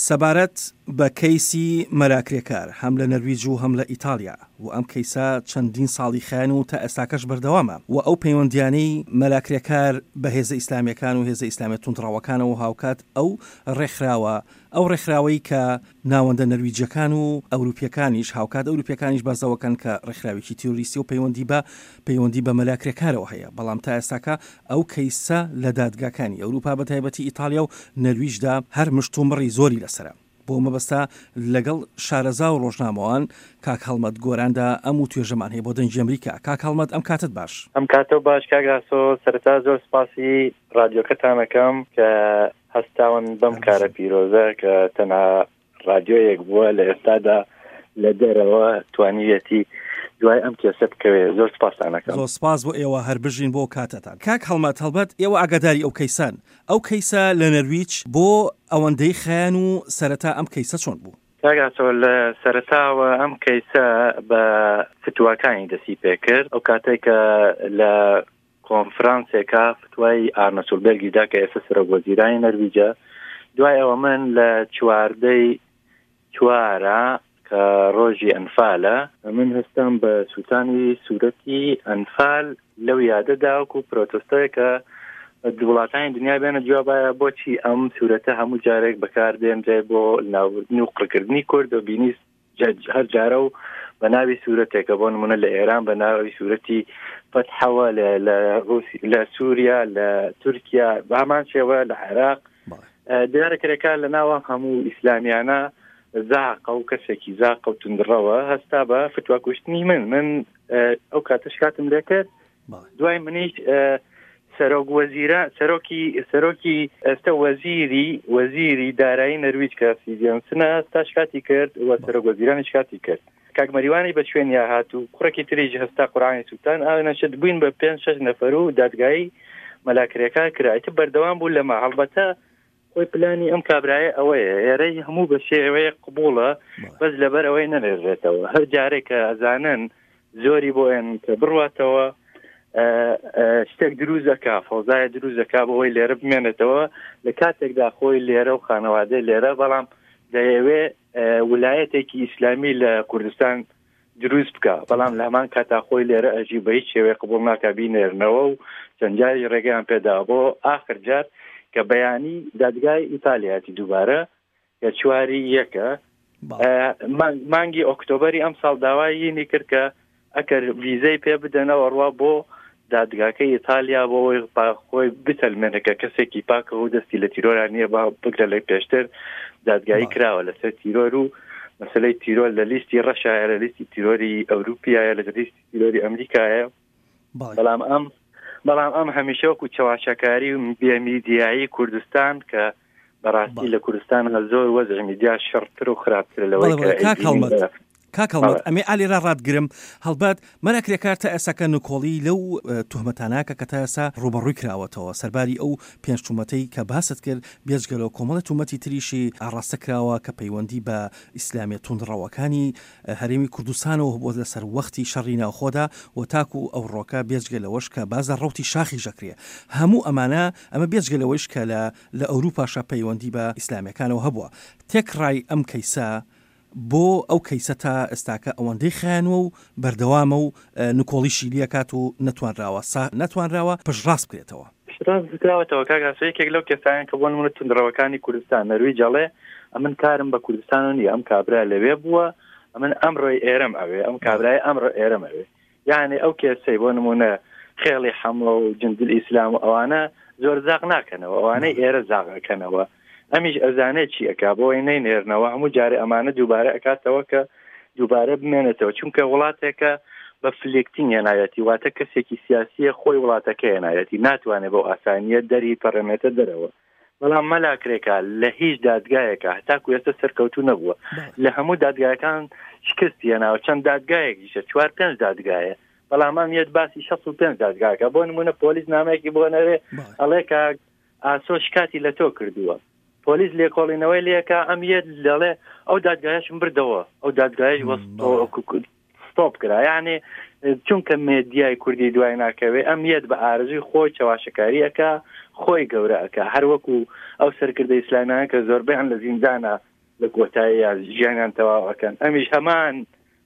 سەبارەت بە کەیسی مەلا کرێکار هەم لە نەرویج و هەم لە ئیتاڵیا و ئەم کەیسە چەندین ساڵی خایان و تا ئێستاکەش بەردەوامە و ئەو پەیوەندیانەی مەلا کرێکار بە هێزە ئیسلامیەکان و هێزە ئیسلامیە توندڕەوەکانەوە و هاوکات ئەو ڕێکخراوە ئەو ڕێکخراوەی کە ناوەندە نەرویجیەکان و ئەوروپیەکانیش هاوکات ئەوروپیەکانیش باس لەوەکەن کە ڕێکخراوێکی تیرۆریستی و پەیوەندی بە پەیوەندی بە مەلا کرێکارەوە هەیە بەڵام تا ئێستاکە ئەو کەیسە لە دادگاکانی ئەوروپا بە تایبەتی ئیتاڵیا و نەرویجدا هەر مشتومڕی زۆری لەسەرە. بۆ مەبەستە لەگەڵ شارەزا و ڕۆژنامەوان کاک هەڵمەت گۆراندا ئەم وتوێژەمان هەیە بۆ دەنگی ئەمریکا. کاک هەڵمەت ئەم کاتەت باش. ئەم کاتەو باش کاک ئاسۆ، سەرەتا زۆر سپاسی ڕادیۆکەتان ئەکەم کە هەستاون بەم کارە پیرۆزە کە تەنها ڕادیۆیەک بووە لە ئێستادا لە دەرەوە توانیویەتی دوای ئەم کێسە بکەوێ زۆر سپاستان ئەکەم. زۆر سپاس بۆ ئێوە هەر بژین بۆ کاتەتان. کاک هەڵمەت هەڵبەت ئێوە ئاگاداری ئەو کەیسەن ئەو کەیسە لە نەرویج بۆ ئەوەندەی خایان و سەرەتا ئەم کەیسە چۆن بوو؟ کاک ئاسۆ لە سەرەتاوە ئەم کەیسە بە فتواکانی دەستی پێکرد ئەو کاتێک کە لە کۆنفرانسێکا فتوای ئارنە سولبێرگی دا کە ئێستا سەرۆک وەزیرانی نەرویجە دوای ئەوە من لە چواردەی چوارە کە ڕۆژی ئەنفالە من هەستام بە سووتانی سوورەتی ئەنفال لەو یادەدا وەکو پرۆتستۆیە کە وڵاتانی دنیا بێنە جوابایە بۆچی ئەم سوورەتە هەموو جارێک بەکاردێنرێ بۆ ناوبردن و قڕکردنی کورد و بینی هەر جارە و بە ناوی سوورەتێکە بۆ نمونە لە ئێران بە ناوی سوورەتی فەتحەوە لە رووسی لە سووریا لە تورکیا بە هەمان شێوە لە عێراق دیارە کرێکار لە ناوە هەموو ئیسلامیانە زاقە و کەسێکی زاقە و تندڕەوە هەستا بە فتوا کوشتنی من من ئەو کاتەش کاتم لێکرد دوای منیش سەرۆک وەزیرە سەرۆکی سەرۆکی ئێستا وەزیری وەزیری دارایی نەرویج کە سیڤیانسنە هەستا شکاتی کرد و سەرۆک وەزیرانی شکاتی کرد کاک مەریوانی بە شوێنیا هات و کوڕێکی تریش هەستا قورآانی سووتان ئاونەشت بووین بە پێنج شەش نەفەر و دادگایی مەلاکرێکار کرا ئیتر بەردەوام بوو لەمە هەڵبەتە خۆی پلانی ئەم کابرایە ئەوەیە ئێرەی هەموو بە شێوەیە قبوڵە بەس لەبەر ئەوەی نەنێژێتەوە هەر جارێک کە ئەزانن زۆری بۆ ئێن کە بڕاتەوە شتێک دروست دەکا فەوزایە دروست دەکا بۆ ئەوەی لێرە بمێنێتەوە لە کاتێکدا خۆی لێرە و خانەوادەی لێرە بەڵام دەیەوێ ولایەتێکی ئیسلامی لە کوردستان دروست بکە بەڵام لە هەمان کاتا خۆی لێرە ئەژی بە هیچ شێوەیە قبول ناکە بینێرنەوە و چەند جاری ڕێگەیان پێدا بۆ ئاخر جار کە بەیانی دادگای ئیتالیاتی دووبارە کە چواری یەکە مانگی ئۆکتۆبری ئەم ساڵ داوای کرد کە ئەگەر ڤیزەی پێ بدەنەوە ڕوا بۆ دادگاکەی ئیتالیا بۆ ئەوەی خۆی بسەلمێنێ کە کەسێکی پاکە و دەستی لە تیرۆرا نییە با بگرە لە پێشتر دادگایی کراوە لەسەر تیرۆر و مەسلەی تیرۆر لە لیستی ڕەشایە لە لیستی تیرۆری ئەوروپیایە لە لیستی تیرۆری ئەمریکایە بەڵام ئەم بەڵام ئەم هەمیشە وەکو چەواشەکاری و بێمیدیایی کوردستان کە بەڕاستی لە کوردستان زۆر وەزعی میدیا شڕتر و خراپترە لەوەی کە کاک هەڵمەت ئەمێ ئالێرا ڕاتگرم هەڵبەت مەلا کرێکار تا ئێساکە نکۆڵی لەو توهمەتانە کە کە تا ئێسا ڕووبەڕووی کراوەتەوە سەرباری ئەو پێنج تومەتەی کە باست کرد بێجگە لەوە کۆمەڵێ تومەتی تریشی ئاڕاستە کراوە کە پەیوەندی بە ئیسلامیە توندڕەوەکانی هەرێمی کوردستانەوە هەبووە لە سەروەختی شەڕی ناوخۆدا و تاکو ئەوڕۆکە بێجگە لەوەش کە باس لە ڕەوتی شاخیش ئەکرێ هەموو ئەمانە ئەمە بێجگە لەوەیش کە لە لە ئەوروپاشا پەیوەندی بە ئیسلامیەکانەوە هەبووە تێکڕای ئەم کەیسە بۆ ئەو کەیسە تا ئێستاکە ئەوەندەی خایانوە و بەردەوامە و نکۆڵیشی لێکات و نەتوانراوە سا نەتوانراوە پشتڕاست بکرێتەوە. پشتڕاست بکراوەتەوە کاک ئاسۆ یەکێک لەو کەسانە کە بۆ نمونە توندڕەوەکانی کوردستان نەرویج ئەڵێ ئەمن کارم بە کوردستانەوە نییە ئەم کابرا لەوێ بووە ئەمن ئەمڕۆی ئێرەم ئەوێ ئەم کابرای ئەمڕۆ ئێرەم ئەوێ یعنی ئەو کێسەی بۆ نمونە خێڵی حەمڵە و جندل ئیسلام و ئەوانە زۆر زاق ناکەنەوە ئەوانەی ئێرە زاق ئەکەنەوە ئەمیش ئەزانێت چی ئەکا بۆی نەینێرنەوە هەموو جارێ ئەمانە دووبارە ئەکاتەوە کە دووبارە بمێنێتەوە چونکە وڵاتێکە بە فلێکتین هێناوێتی واتە کەسێکی سیاسیە خۆی وڵاتەکە هێناوێتی ناتوانێت بەو ئاسانیە دەری پەڕێنێتە دەرەوە بەڵام مەلا کرێکار لە هیچ دادگایەکە هەتاکو ئێستا سەرکەوتوو نەبووە لە هەموو دادگایەکان شکستی هێناوە چەند دادگایەکیشە چوار پێنج دادگایە بەڵام ئەم یەت باسی 65 دادگاکە بۆ نمونە پۆلیس نامەیەکی بۆ نەرێ ئەڵێ کە ئاسۆ شکاتی لە تۆ کردووە پۆلیس لێکۆڵینەوەی لەکە ئەم یەت دەڵێ ئەو دادگایشم بردەوە ئەو دادگایش وەستۆ ستۆپ کرا یعنی چونکە مێدیای کوردی دوای ناکەوێ ئەم یەت بە ئارەزووی خۆی چەواشەکاری ئەکا خۆی گەورە ئەکا هەر وەکو ئەو سەرکردە ئیسلامیانە کە زۆربەیان لە زیندانە لە کۆتاییە ژیانیان تەواو ئەکەن ئەمیش هەمان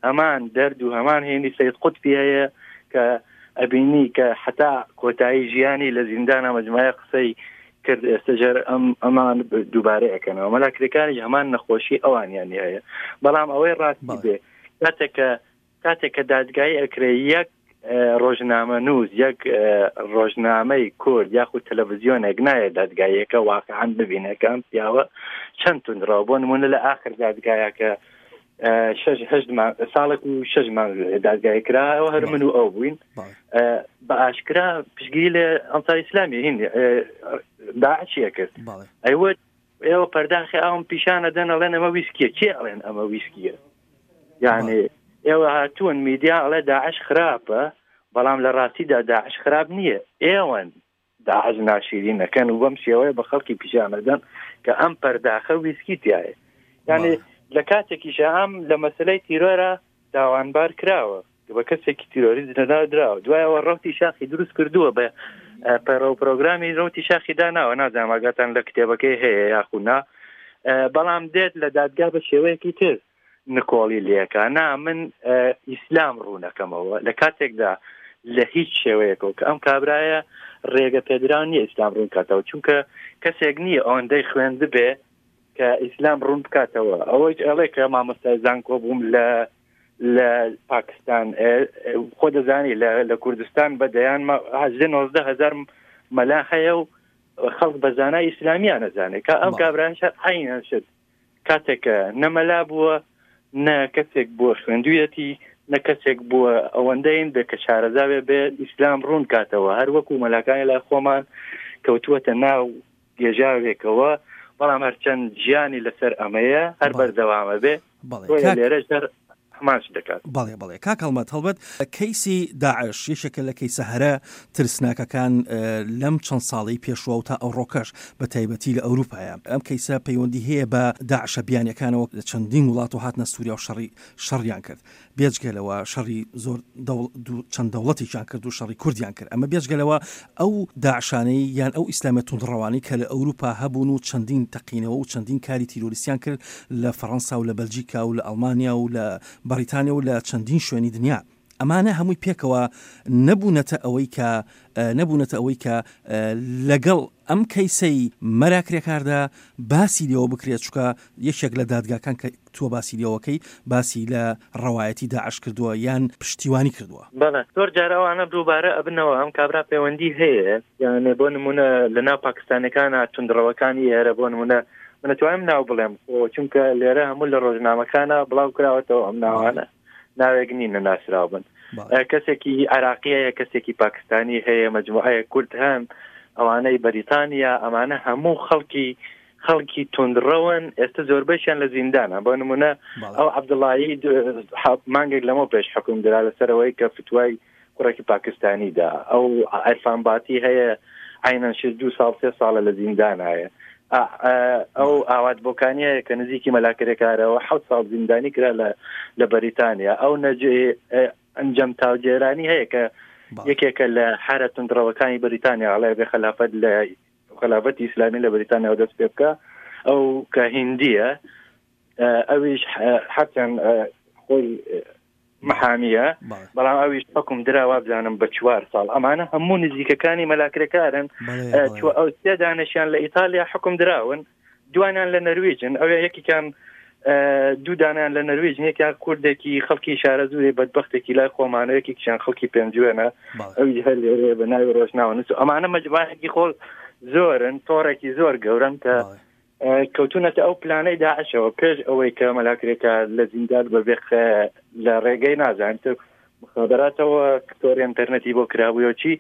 هەمان دەرد و هەمان هێنی سید قوتبی هەیە کە ئەبینی کە حتا کۆتایی ژیانی لە زیندانە مەجموعە قسەی کرد ئێستا ژەر ئەم ئەمان دووبارە ئەەکەنەوە مەلا کرێکاریش هەمان نەخۆشی ئەوانیانی هەیە بەڵام ئەوەی ڕاستی بێ کاتێک کە کاتێک کە دادگایی ئەکرێ یەک ڕۆژنامەنووس یەک ڕۆژنامەی کورد یاخود تەلەڤزیۆنێک نایە دادگاییەکە واقعا ببینێ کە ئەم پیاوە چەند توندڕەوە بۆ نمونە لە ئاخر دادگایەکە شش هەشت ساڵێک و شش مانگ دادگایی کراوە هەر من و ئەو بووین بە ئاشکرا پشگیری لە ئەنسار ئیسلامی هین داعشیە کرد ئەیوت ئێوە پەرداخی ئاوم پیشان ئەدەن ئەڵێن ئەمە ویسکیە کێ ئەڵێن ئەمە ویسکیە یعنی ئێوە هاتوون میدیا ئەڵێ داعش خراپە بەڵام لە ڕاستیدا داعش خراپ نییە ئێوەن داعش ناشیرین نەکەن و بەم شێوەیە بە خەڵکی پیشانەدەن کە ئەم پەرداخە ویسکی تایە یعنی لە کاتێکیشە ئەم لە مەسلەی تیرۆرە تاوانبار کراوە بە کەسێکی تیرۆریست لەناو دراوە دوایەوە ڕەوتی شاخی دروست کردووە بە پەیڕەو پرۆگرامی ڕەوتی شاخی داناوە نازانم ئاگاتان لە کتێبەکەی هەیە یاخو نا بەڵام دێت لە دادگا بە شێوەیەکی تر نکۆڵی لەکە نا من ئیسلام ڕوونەکەمەوە لە کاتێکدا لە هیچ شێوەیەکەوە کە ئەم کابرایە ڕێگە پێدراو نییە ئیسلام ڕوون کاتەوە چونکە کەسێک نییە ئەوەندەی خوێندبێ کە ئیسلام ڕوون بکاتەوە ئەوەی ئەڵێ کە مامۆستای زانکۆ بووم لە لە پاکستان خۆ دەزانی لە کوردستان بە دەیان هەزدە نۆزدە هەزار مەلا هەیە و خەڵک بە زانای ئیسلامیان نەزانێت کە ئەم کابرایش عینەن شت کاتێک نە مەلا بووە نە کەسێک بووە خوێندویەتی نە کەسێک بووە ئەوەندەین بێ کە شارەزاوێ بێ ئیسلام ڕوون کاتەوە هەر وەکو مەلاکانی لای خۆمان کەوتووەتە ناو گێژاوێکەوە بەڵام هەرچەند ژیانی لەسەر ئەمەیە هەر بەردەوامە بێ لێرەش هەر هەمان شت دەکات. بەڵێ بەڵێ کاک هەڵمەت هەڵبەت کەیسی داعش یەکێکە لە کەیسە هەرە ترسناکەکان لەم چەند ساڵەی پێشوە و تا ئەوڕۆکەش بە تایبەتی لە ئەوروپایە ئەم کەیسە پەیوەندی هەیە بە داعشە بیانیەکانەوە لە چەندین وڵات و هاتنە سووریا و شەڕی شەڕیان کرد بێجگە لەوە شەڕی زۆر چەند دەوڵەتێکیان کرد و شەڕی کوردیان کرد ئەمە بێجگە لەوە ئەو داعشانەی یان ئەو ئیسلامە توندڕەوانەی کە لە ئەوروپا هەبوون و چەندین تەقینەوە و چەندین کاری تیرۆریستیان کرد لە فەڕەنسا و لە بەلجیکا و لە ئەڵمانیا و لە بەڕیتانیا و لە چەندین شوێنی دنیا ئەمانە هەمووی پێکەوە نەبوونەتە ئەوەی کە نەبوونەتە ئەوەی کە لەگەڵ ئەم کەیسەی مەلا کرێکاردا باسی لێوە بکرێت چونکە یەکێک لە دادگاکان کە تۆ باسی لێوەکەی باسی لە ڕەوایەتی داعش کردووە یان پشتیوانی کردووە. بەڵێ زۆر جار ئەوانە دووبارە ئەبنەوە ئەم کابرا پەیوەندی هەیە یانێ بۆ نمونە لە ناو پاکستانەکانە توندڕەوەکانی ئێرە بۆ نمونە من ئەتوانم ناو بڵێم خۆ چونکە لێرە هەموو لە ڕۆژنامەکانە بڵاو کراوەتەوە ئەم ناوانە ناوێک نین نەناسراو بن کەسێکی عراقی هەیە کەسێکی پاکستانی هەیە مجموعەیە کورد هەن ئەوانەی بەریتانیا ئەمانە هەموو خەڵکی خەڵکی توندڕەون ئێستا زۆربەشیان لە زیندانە بۆ نمونە ئەو عەبدوڵایی مانگێک لەمە پێش حکوم درا لەسەرەوەی کە فتوای کوڕێکی پاکستانی دا ئەو عرفان باتی هەیە عینەن شش دوو ساڵ سێ ساڵە لە زیندانایە ئەو ئاوات بۆکانیە کە نزیکی مەلاکرێکارەوە حەوت ساڵ زیندانی کرا لە لە بەریتانیا ئەو نەجێ ئەنجام تاوجێرانی هەیە کە یەکێکە لە حرە تونندڕەوەکانی بەریتانیا ئەڵێ بێ خەلافەت لە خەلافەتی ئیسلامی لە بەریتانیاوە دەست پێ بکە ئەو کە هندیە ئەویش حەچەند خۆی محامیە بەڵام ئەویش حکوم درا وابزانم بە چوار ساڵ ئەمانە هەموو نزیکەکانی مەلاکرێکارن ئەو سێ دانشیان لە ئیتالیا حکوم دراون دوانیان لە نەرویجن ئەوێ یەکێکیان دوو دانیان لە نەرویج یەکیان کوردێکی خەڵکی شارەزوورێ بەدبختێکی لای خۆمانە یەکێکیان خەڵکی پێنجوێنە ئەوی هەر لێرەیە بە ناوی ڕۆژناوە نووس ئەمانە مەجموعەیەکی خۆ زۆرن تۆڕێکی زۆر گەورەن کە کەوتونەتە ئەو پلانەی داعشەوە پێش ئەوەی کە مەلا کرێکار لە زیندان بەبێ لە ڕێگەی نازانم تر مخابراتەوە تۆڕی ئینتەرنێتی بۆ کرابوویەوە چی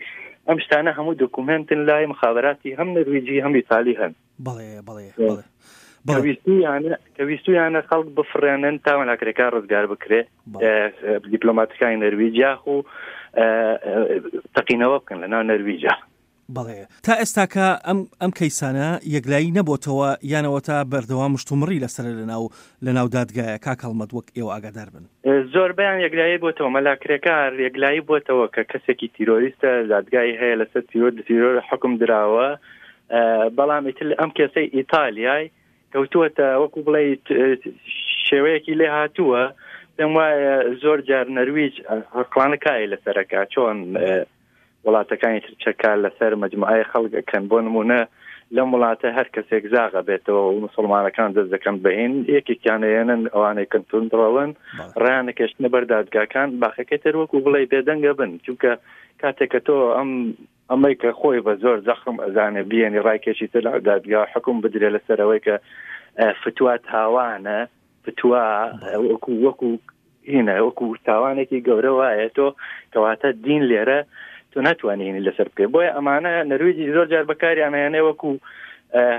ئەم شتانە هەموو دۆکومێنتن لای مخابراتی هەم نەرویجی هەم ئیتالی هەن. بەڵێ بەڵێ بەڵێ کە ویستویانە کە ویستویانە خەڵک بفڕێنن تا مەلا کرێکار ڕزگار بکرێ دیپلۆماتەکانی نەرویج یاخو تەقینەوە بکەن لە ناو نەرویجا. بەڵێ تا ئێستاکە ئەم ئەم کەیسانە یەکلایی نەبۆتەوە یان ئەوەتا بەردەوام مشتومڕی لەسەرە لەناو لەناو دادگایە کاک هەڵمەت وەک ئێوە ئاگادار بن. زۆربەیان یەکلایی بۆتەوە مەلا کرێکار یەکلایی بۆتەوە کە کەسێکی تیرۆریستە دادگای هەیە لەسەر تیرۆر تیرۆر حکم دراوە بەڵام ئیتر ئەم کێسەی ئیتالیای کەوتووەتە وەکو بڵێ شێوەیەکی لێ هاتووە پێم وایە زۆر جار نەرویج عقلانە کاری لەسەرەکە چۆن وڵاتەکانی تر چەکار لەسەر مجموعەی خەڵک ئەکەن بۆ نمونە لەم وڵاتە هەر کەسێک زاغە بێتەوە و مسلمانەکان دەست دەکەن بەین یەکێکیان ئەیەنن ئەوانەی کە توندڕەون ڕیان نەکێشتنە بەر دادگاکان باقەکەی تر وەکو بڵێ بێدەنگە بن چونکە کاتێک کە تۆ ئەم ئەمەی کە خۆی بە زۆر زەخم ئەزانێ بیێنی ڕایکێشی تر لە دادگا حکوم بدرێ لەسەرەوەی کە فتوا تاوانە فتوا وەکو وەکو هینە وەکو تاوانێکی گەورە وایە تۆ کەواتە دین لێرە تۆ ناتوانانی هینی لەسەر بکەی بۆیە ئەمانە نەرویجی زۆر جار بەکاریان هێنێ وەکو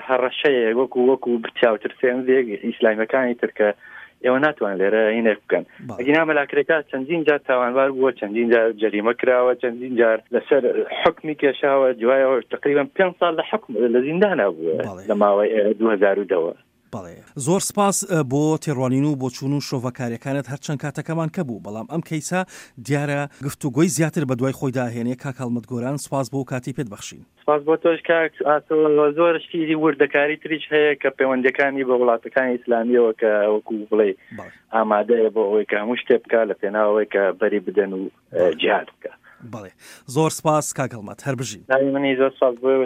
هەڕەشەیە وەکو وەکو چاوترسێنێک ئیسلامیەکانی ترکە ئێوە ناتوان لێرە هینێک بکەن ئەگینا مەلاکرێکا چەندین جار تاوانبار بووە چەندین جار جەریمە کراوە چەندین جار لەسەر حکمی کێشاوە دوایەوە تقریبا پێ ساڵ لە حکم لە زیندانە بووە لە ماوەی 2010ەوە بەڵێ زۆر سپاس بۆ تێڕوانین و بۆچوون و شرۆڤەکاریەکانت هەرچەند کاتەکەمان کەبوو بەڵام ئەم کەیسە دیارە گفتوگۆی زیاتر بەدوای خۆیدا ئەهێنێ کاک هەڵمەت گۆران سپاس بۆ کاتی پێت بەخشین. سپاس بۆ تۆش کاک ئاسۆ زۆر شتی وردەکاری تریش هەیە کە پەیوەندەکانی بە وڵاتەکانی ئیسلامیەوە کە وەکو بڵێ ئامادەیە بۆ ئەوەی کە هەموو شتێ بکە لە پێناوەوەی کە بەری بدەن و جیهاد بکە. بەڵێ زۆر سپاس کاک هەڵمەت هەر بژین. منی زۆر سپاس بۆ ئێوەش.